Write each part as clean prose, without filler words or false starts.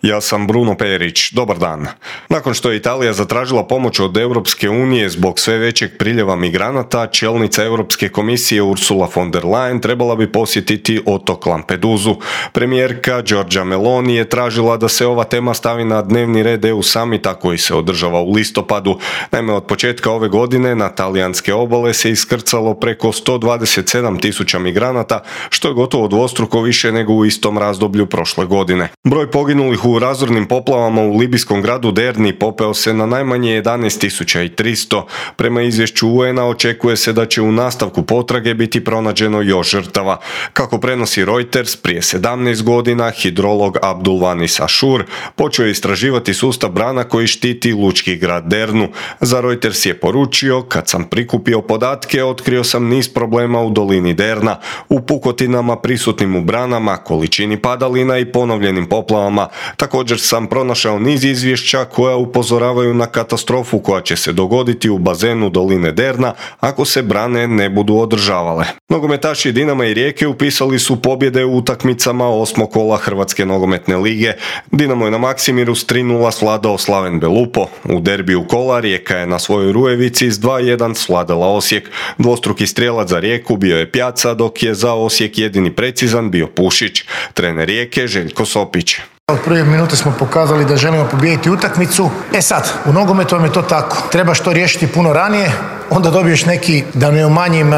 Ja sam Bruno Perić, dobar dan. Nakon što je Italija zatražila pomoć od Europske unije zbog sve većeg priljeva migranata, čelnica Europske komisije Ursula von der Leyen trebala bi posjetiti otok Lampedusu. Premijerka Giorgia Meloni je tražila da se ova tema stavi na dnevni red EU samita koji se održava u listopadu. Naime, od početka ove godine na talijanske obale se iskrcalo preko 127.000 migranata, što je gotovo dvostruko više nego u istom razdoblju prošle godine. Broj poginulih u razornim poplavama u libijskom gradu Derni popeo se na najmanje 11.300. Prema izvješću UN-a očekuje se da će u nastavku potrage biti pronađeno još žrtava. Kako prenosi Reuters, prije 17 godina hidrolog Abdulvanis Ashur počeo je istraživati sustav brana koji štiti lučki grad Dernu. Za Reuters je poručio: kad sam prikupio podatke, otkrio sam niz problema u dolini Derna, u pukotinama prisutnim u branama, količini padalina i ponovljenim poplavama. Također sam pronašao niz izvješća koja upozoravaju na katastrofu koja će se dogoditi u bazenu doline Derna ako se brane ne budu održavale. Nogometaši Dinama i Rijeke upisali su pobjede u utakmicama 8. kola Hrvatske nogometne lige. Dinamo je na Maksimiru s 3:0 svladao Slaven Belupo. U derbiju kola Rijeka je na svojoj Rujevici s 2:1 svladala Osijek. Dvostruki strijelac za Rijeku bio je Pjaca, dok je za Osijek jedini precizan bio Pušić. Trener Rijeke Željko Sopić. Od prve minute smo pokazali da želimo pobijediti utakmicu. Sad, u nogometu vam je to tako. Trebaš to riješiti puno ranije, onda dobiješ neki, da ne umanjim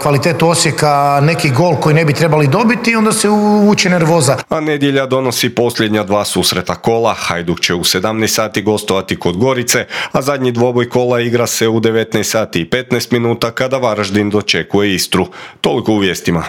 kvalitetu Osijeka, neki gol koji ne bi trebali dobiti i onda se uvuče nervoza. A nedjelja donosi posljednja dva susreta kola. Hajduk će u 17 sati gostovati kod Gorice, a zadnji dvoboj kola igra se u 19 sati i 15 minuta kada Varaždin dočekuje Istru. Toliko u vijestima.